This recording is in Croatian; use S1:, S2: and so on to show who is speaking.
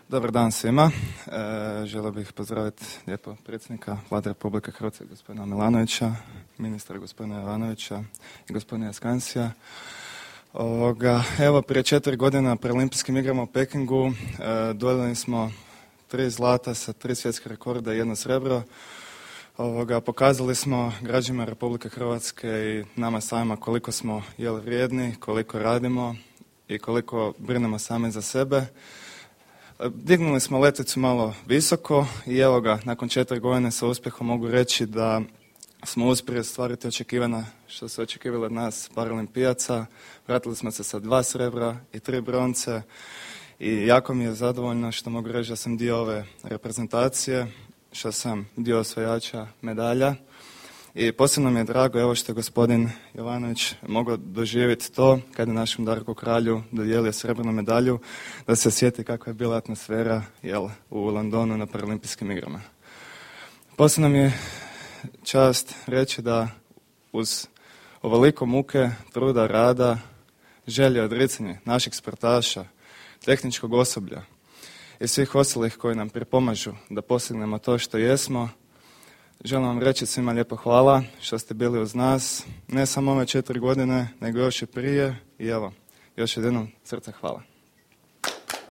S1: Dobar dan svima. Želio bih pozdraviti lijepo predsjednika Vlade Republike Hrvatske, gospodina Milanovića, ministra gospodina Jovanovića i gospodina Skansija. Evo, prije 4 godine na Paralimpijskim igrama u Pekingu dodijelili smo 3 zlata sa 3 svjetske rekorda i 1 srebro. Pokazali smo građanima Republike Hrvatske i nama samima koliko smo vrijedni, koliko radimo i koliko brinemo sami za sebe. Dignuli smo letvicu malo visoko i evo ga, nakon 4 godine sa uspjehom mogu reći da smo uspjeli ostvariti očekivanja što se očekivalo od nas paralimpijaca. Vratili smo se sa 2 srebra i 3 bronce i jako mi je zadovoljno što mogu reći da sam dio ove reprezentacije, što sam dio osvajača medalja. I posebno mi je drago evo što je gospodin Jovanović mogao doživjeti to kada je našem Darku Kralju dodijelio srebrnu medalju, da se sjeti kakva je bila atmosfera u Londonu na Paralimpijskim igrama. Posebno mi je čast reći da uz ovoliko muke, truda, rada, želje, odricanje naših sportaša, tehničkog osoblja i svih ostalih koji nam pripomažu da postignemo to što jesmo, želim vam reći svima lijepo hvala što ste bili uz nas, ne samo ove 4 godine, nego još i prije i evo, još jednom srce hvala.